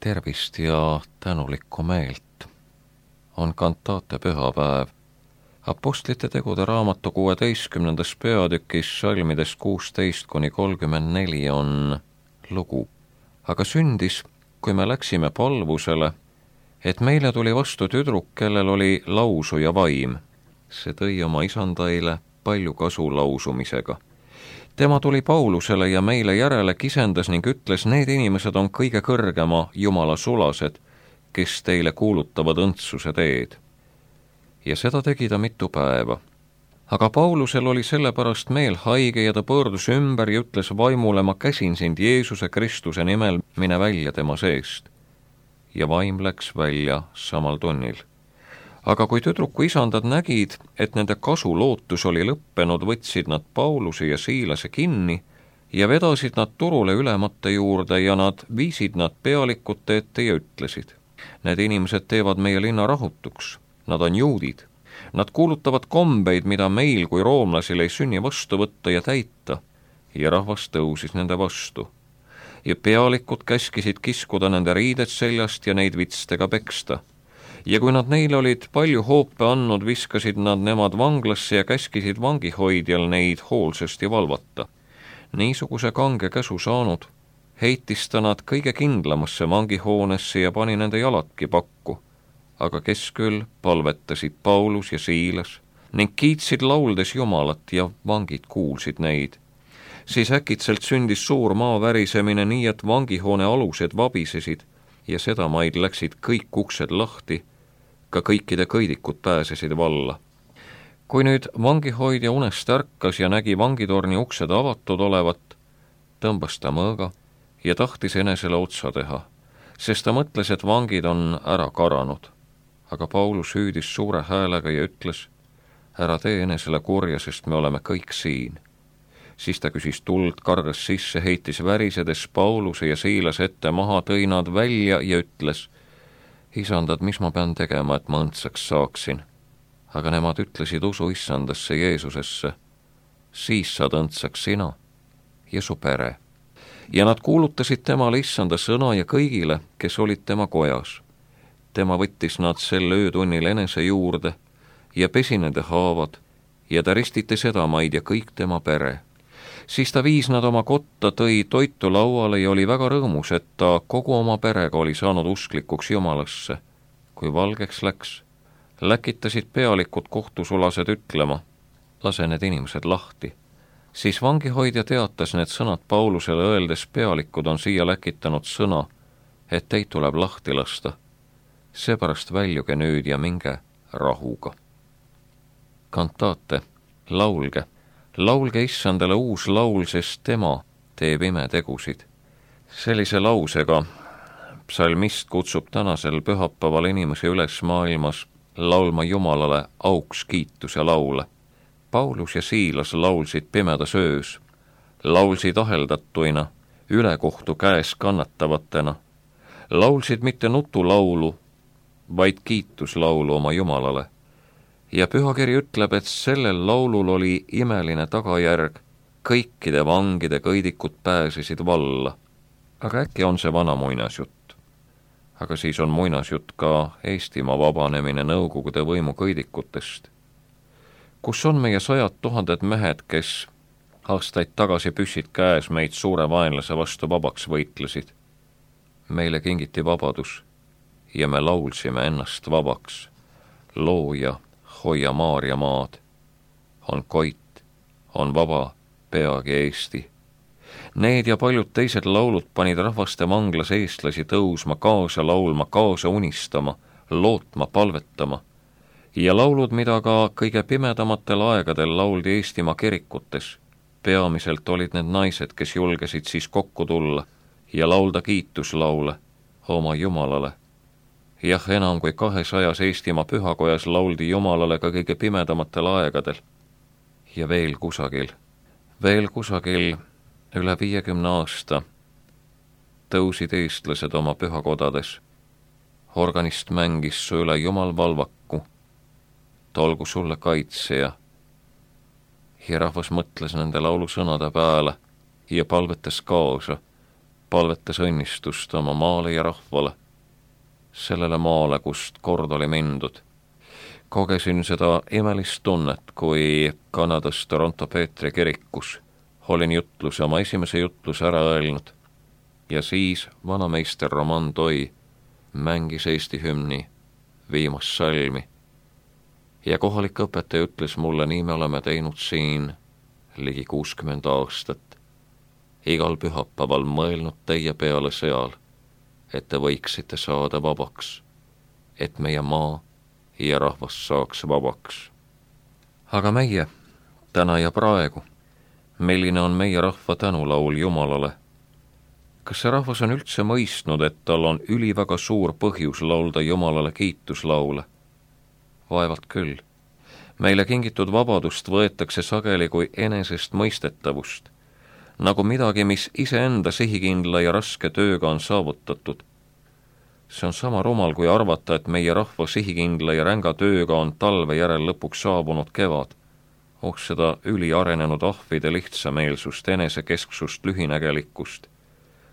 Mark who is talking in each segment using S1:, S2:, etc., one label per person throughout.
S1: Tervist ja tänulikku meelt. On kantaate pühapäev. Apostlite tegude raamatu 16. peatükis salmides 16-34 on lugu. Aga sündis, kui me läksime palvusele, et meile tuli vastu tüdruk, kellel oli lausuja vaim. See tõi oma isandaile palju kasu lausumisega. Tema tuli Paulusele ja meile järele kisendas ning ütles, need inimesed on kõige kõrgema Jumala sulased, kes teile kuulutavad õndsuse teed. Ja seda tegi ta mitu päeva. Aga Paulusel oli sellepärast meel haige ja ta pöördus ümber ja ütles vaimule, ma käsin sind Jeesuse Kristuse nimel, mine välja tema seest. Ja vaim läks välja samal tunnil. Aga kui tüdruku isandad nägid, et nende kasulootus oli lõppenud, võtsid nad Pauluse ja Siilase kinni ja vedasid nad turule ülemate juurde ja nad viisid nad pealikute ette ja ütlesid. Need inimesed teevad meie linna rahutuks, nad on juudid. Nad kuulutavad kombeid, mida meil kui roomlasil ei sünni vastu võtta ja täita, ja rahvas tõusis nende vastu. Ja pealikud käskisid kiskuda nende riided seljast ja neid vitstega peksta. Ja kui nad neile olid palju hoope andnud, viskasid nad nemad vanglasse ja käskisid vangihoidjal neid hoolsasti valvata. Niisuguse kange käsu saanud, heitis ta nad kõige kindlamasse vangihoonesse ja pani nende jaladki pakku. Aga kes küll palvetasid Paulus ja Siilas ning kiitsid lauldes Jumalat ja vangid kuulsid neid. Siis äkitselt sündis suur maavärisemine nii, et vangihoone alused vabisesid ja sedamaid läksid kõik uksed lahti, ka kõikide kõidikud pääsesid valla. Kui nüüd vangihoidja unest ärkas ja nägi vangitorni uksed avatud olevat, tõmbas ta mõõga ja tahtis enesele otsa teha, sest ta mõtles, et vangid on ära karanud. Aga Paulus hüüdis suure häälega ja ütles, ära tee enesele kurja, sest me oleme kõik siin. Siis ta küsis tuld, kargas sisse, heitis värisedes Pauluse ja Siilase ette maha, tõi nad välja ja ütles, isandad, mis ma pean tegema, et ma õndsaks saaksin? Aga nemad ütlesid, usu issandasse Jeesusesse, siis saad õndsaks sina ja su pere. Ja nad kuulutasid temale issanda sõna ja kõigile, kes olid tema kojas. Tema võttis nad sel öötunnil enese juurde ja pesi nende haavad ja ta ristiti sedamaid ja kõik tema pere. Siis ta viis nad oma kotta, tõi toitu lauale ja oli väga rõõmus, et ta kogu oma perega oli saanud usklikuks Jumalasse. Kui valgeks läks, läkitasid pealikud kohtusulased ütlema, lase need inimesed lahti. Siis vangihoidja teatas need sõnad Paulusele öeldes, pealikud on siia läkitanud sõna, et teid tuleb lahti lasta. Seepärast väljuge nüüd ja minge rahuga. Kantaate, laulge. Laulge issandale uus laul, sest tema teeb imetegusid. Sellise lausega psalmist kutsub tänasel pühapäeval inimese üles maailmas laulma Jumalale auks kiitus ja laule. Paulus ja Siilas laulsid pimedas öös, laulsid aheldatuina, ülekohtu käes kannatavatena, laulsid mitte nutulaulu, vaid kiituslaulu oma Jumalale. Ja pühakiri ütleb, et sellel laulul oli imeline tagajärg, kõikide vangide kõidikud pääsesid valla. Aga äkki on see vana muinasjutt? Aga siis on muinasjutt ka Eestimaa vabanemine Nõukogude võimu kõidikutest. Kus on meie 100 000 mehed, kes aastaid tagasi püssid käes meid suure vaenlase vastu vabaks võitlesid? Meile kingiti vabadus ja me laulsime ennast vabaks. Looja, hoia Maarja maad, on koit, on vaba, peagi Eesti. Need ja paljud teised laulud panid rahvaste vanglas eestlasi tõusma, kaasa laulma, kaasa unistama, lootma, palvetama. Ja laulud, mida ka kõige pimedamatel aegadel lauldi Eestimaa kirikutes. Peamiselt olid need naised, kes julgesid siis kokku tulla ja laulda kiituslaule oma Jumalale. Jah, enam kui 200 Eestimaa pühakojas lauldi Jumalale ka kõige pimedamatel aegadel. Ja veel kusagil üle 50 aasta tõusid eestlased oma pühakodades. Organist mängis su üle Jumal valvaku, tolgu sulle kaitseja. Ja rahvas mõtles nende laulusõnade peale ja palvetas kaasa. palvetas õnnistust oma maale ja rahvale, sellele maale, kust kord oli mindud. Kogesin seda imelist tunnet, kui Kanadas Toronto Peetri kirikus olin jutluse, oma esimese jutluse ära öelnud ja siis vanameister Roman Toi mängis Eesti hümni viimast salmi ja kohalik õpetaja ütles mulle, nii me oleme teinud siin ligi 60 aastat, igal pühapäeval mõelnud teie peale seal, et te võiksite saada vabaks, et meie maa ja rahvas saaks vabaks. Aga meie, täna ja praegu, milline on meie rahva tänulaul Jumalale? Kas see rahvas on üldse mõistnud, et tal on üliväga suur põhjus laulda Jumalale kiituslaule? Vaevalt küll. Meile kingitud vabadust võetakse sageli kui enesest mõistetavust, nagu midagi, mis iseenda sihikindla ja raske tööga on saavutatud. See on sama rumal, kui arvata, et meie rahva sihikindla ja ränga tööga on talve järel lõpuks saabunud kevad. Seda üliarenenud ahvide lihtsameelsust, enesekesksust, lühinägelikkust,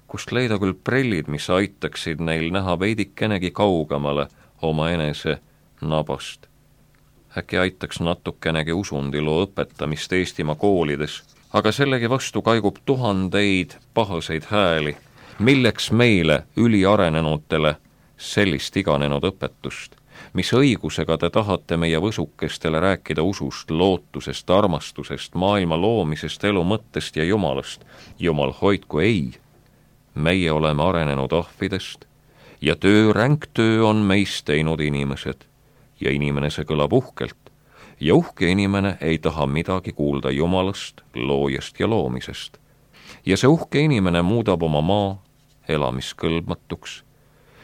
S1: kust leida küll prillid, mis aitaksid neil näha veidikenegi kaugemale oma enese nabast. Äkki aitaks natukenegi usundiloo õpetamist Eestimaa koolides, aga sellegi vastu kaigub tuhandeid pahaseid hääli, milleks meile üliarenenutele sellist iganenud õpetust, mis õigusega te tahate meie võsukestele rääkida usust, lootusest, armastusest, maailma loomisest, elu mõttest ja Jumalast. Jumal hoidku ei, meie oleme arenenud ahvidest ja ränk töö on meist teinud inimesed ja inimene see kõlab uhkelt ja uhke inimene ei taha midagi kuulda Jumalast, loojast ja loomisest. Ja see uhke inimene muudab oma maa elamiskõlbmatuks.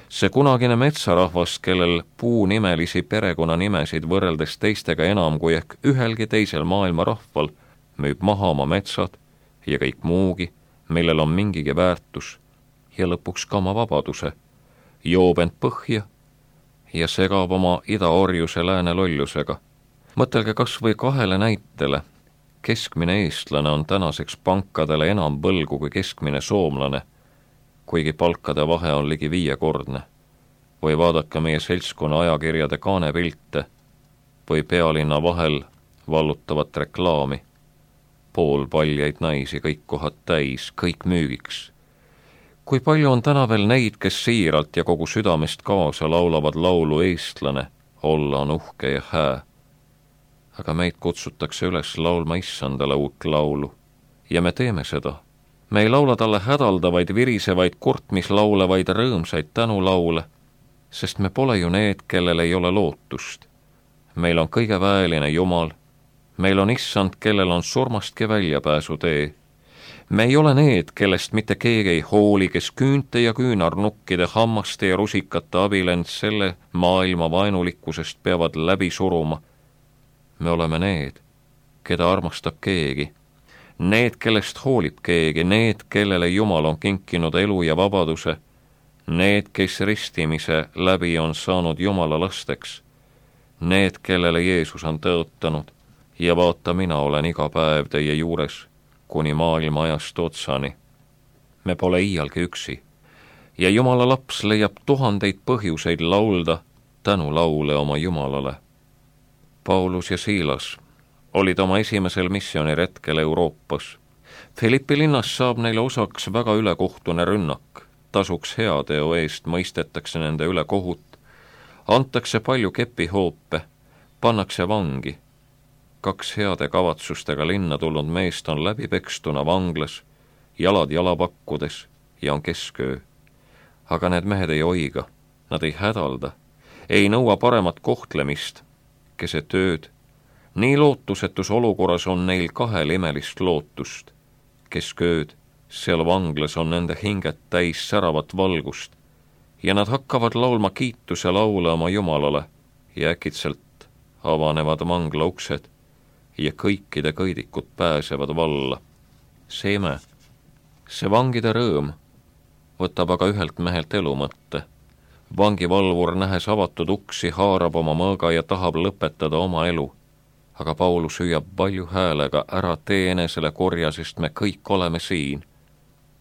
S1: See kunagine metsarahvas, kellel puunimelisi perekonnanimesid võrreldes teistega enam kui ehk ühelgi teisel maailma rahval, müüb maha oma metsad ja kõik muugi, millel on mingigi väärtus ja lõpuks ka oma vabaduse, joob end põhja ja segab oma idaorjuse lääne lollusega. Mõtelge kas või 2 näitele. Keskmine eestlane on tänaseks pankadele enam võlgu kui keskmine soomlane, kuigi palkade vahe on ligi 5-kordne. Või vaadake meie seltskonna ajakirjade kaanepilte või pealinna vahel vallutavat reklaami. Poolpaljaid naisi, kõik kohad täis, kõik müügiks. Kui palju on täna veel neid, kes siiralt ja kogu südamest kaasa laulavad laulu eestlane, olla on uhke ja hää. Aga meid kutsutakse üles laulma issandale uut laulu ja me teeme seda. Me ei laula talle hädaldavaid, virisevaid, kurtmislaule, vaid rõõmsaid tänulaule, sest me pole ju need, kellel ei ole lootust. Meil on kõige väeline Jumal, meil on issand, kellel on surmastki väljapääsu tee. Me ei ole need, kellest mitte keegi ei hooli, kes küünte ja küünarnukkide, hammaste ja rusikate abil end selle maailma vaenulikkusest peavad läbi suruma. Me oleme need, keda armastab keegi. Need, kellest hoolib keegi, need, kellele Jumal on kinkinud elu ja vabaduse, need, kes ristimise läbi on saanud Jumala lasteks, need, kellele Jeesus on tõotanud ja vaata, mina olen iga päev teie juures kuni maailma ajast otsani. Me pole iialgi üksi ja Jumala laps leiab tuhandeid põhjuseid laulda tänulaule oma Jumalale. Paulus ja Siilas olid oma esimesel missiooniretkel Euroopas. Filippi linnas saab neile osaks väga ülekohtune rünnak. Tasuks heateo eest mõistetakse nende üle kohut, antakse palju kepihoope, pannakse vangi. 2 heade kavatsustega linna tulnud meest on läbipekstuna vanglas, jalad jalapakkudes ja on kesköö. Aga need mehed ei oiga, nad ei hädalda, ei nõua paremat kohtlemist, keset tööd. Nii lootusetus olukorras on neil 2 imelist lootust. Keskööd, seal vanglas on nende hinged täis säravat valgust ja nad hakkavad laulma kiituse laule oma Jumalale ja äkitselt avanevad vangla uksed ja kõikide kõidikud pääsevad valla. See ime, see vangide rõõm võtab aga ühelt mehelt elu mõtte. Vangivalvur nähes avatud uksi haarab oma mõõga ja tahab lõpetada oma elu. Aga Paulus hüüab palju häälega, ära tee enesele korja, sest me kõik oleme siin.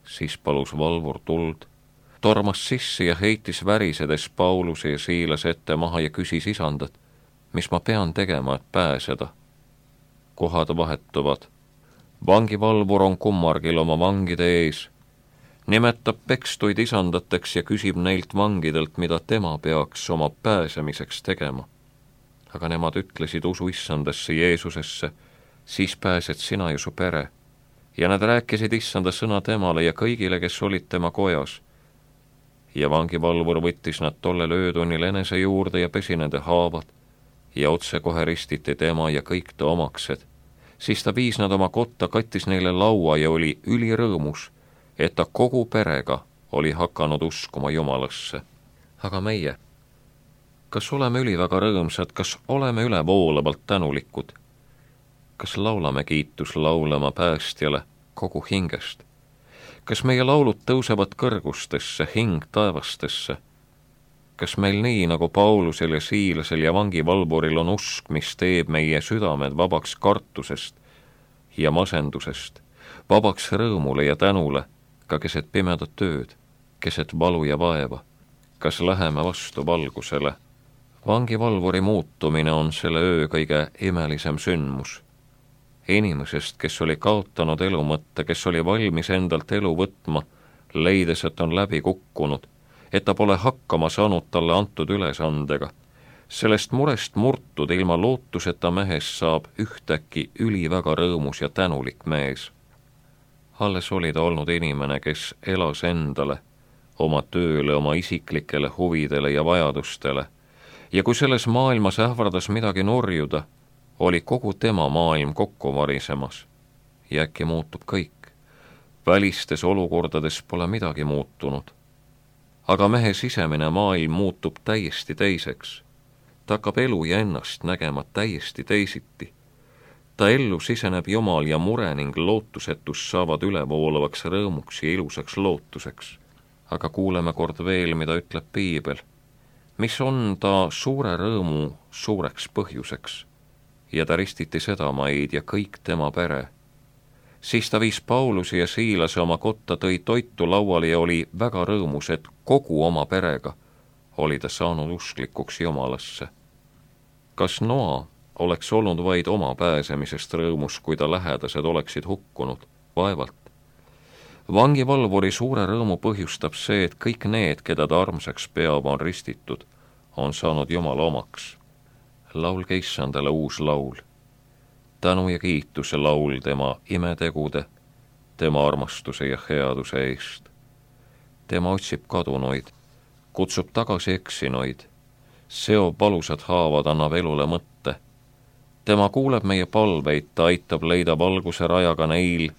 S1: Siis palus valvur tuld, tormas sisse ja heitis värisedes Pauluse ja Siilase ette maha ja küsis isandat, mis ma pean tegema, et pääseda. Kohad vahetuvad. Vangivalvur on kummargil oma vangide ees, nimetab pekstuid isandateks ja küsib neilt vangidelt, mida tema peaks oma pääsemiseks tegema. Aga nemad ütlesid, usu issandasse Jeesusesse, siis pääsed sina ja su pere. Ja nad rääkisid issanda sõna temale ja kõigile, kes olid tema kojas. Ja vangivalvur võttis nad tollel öötunnil enese juurde ja pesi nende haavad ja otsekohe ristiti tema ja kõik ta omaksed. Siis ta viis nad oma kotta, kattis neile laua ja oli ülirõõmus, et ta kogu perega oli hakanud uskuma Jumalasse. Aga meie, kas oleme üliväga rõõmsad, kas oleme ülevoolavalt tänulikud? Kas laulame kiituslaulama päästjale kogu hingest? Kas meie laulud tõusevad kõrgustesse, hing taevastesse? Kas meil nii, nagu Paulusel ja Siilasel ja vangivalvuril on usk, mis teeb meie südamed vabaks kartusest ja masendusest, vabaks rõõmule ja tänule, ka keset pimedat tööd, keset valu ja vaeva? Kas läheme vastu valgusele? Vangivalvuri muutumine on selle öö kõige imelisem sündmus. Inimesest, kes oli kaotanud elu mõtte, kes oli valmis endalt elu võtma, leides, et on läbi kukkunud, et ta pole hakkama saanud talle antud ülesandega. Sellest murest murtud ilma lootuseta mehest saab ühtäkki üliväga rõõmus ja tänulik mees. Alles oli ta olnud inimene, kes elas endale, oma tööle, oma isiklikele huvidele ja vajadustele. Ja kui selles maailmas ähvardas midagi nurjuda, oli kogu tema maailm kokku varisemas. Ja äkki muutub kõik. Välistes olukordades pole midagi muutunud. Aga mehe sisemine maailm muutub täiesti teiseks. Ta hakkab elu ja ennast nägema täiesti teisiti. Ta ellu siseneb Jumal ja mure ning lootusetus saavad ülevoolavaks rõõmuks ja ilusaks lootuseks. Aga kuuleme kord veel, mida ütleb Piibel. Mis on ta suure rõõmu suureks põhjuseks? Ja ta ristiti sedamaid ja kõik tema pere. Siis ta viis Pauluse ja Siilase oma kotta, tõi toitu lauale ja oli väga rõõmus, et kogu oma perega oli ta saanud usklikuks Jumalasse. Kas Noa oleks olnud vaid oma pääsemisest rõõmus, kui ta lähedased oleksid hukkunud? Vaevalt. Vangivalvuri suure rõõmu põhjustab see, et kõik need, keda ta armsaks peab, on ristitud, on saanud Jumala omaks. Laulge issandale uus laul. Tänu ja kiituse laul tema imetegude, tema armastuse ja headuse eest. Tema otsib kadunuid, kutsub tagasi eksinuid, seob valusad haavad, annab elule mõtte. Tema kuuleb meie palveid, ta aitab leida valguse rajaga neil,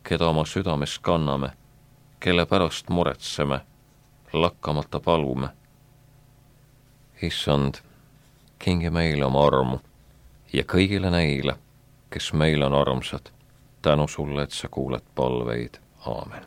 S1: keda oma südames kanname, kelle pärast muretseme, lakkamata palume. Issand, kingi meile oma armu ja kõigile neile, kes meil on armsad, tänu sulle, et sa kuuled palveid. Aamen.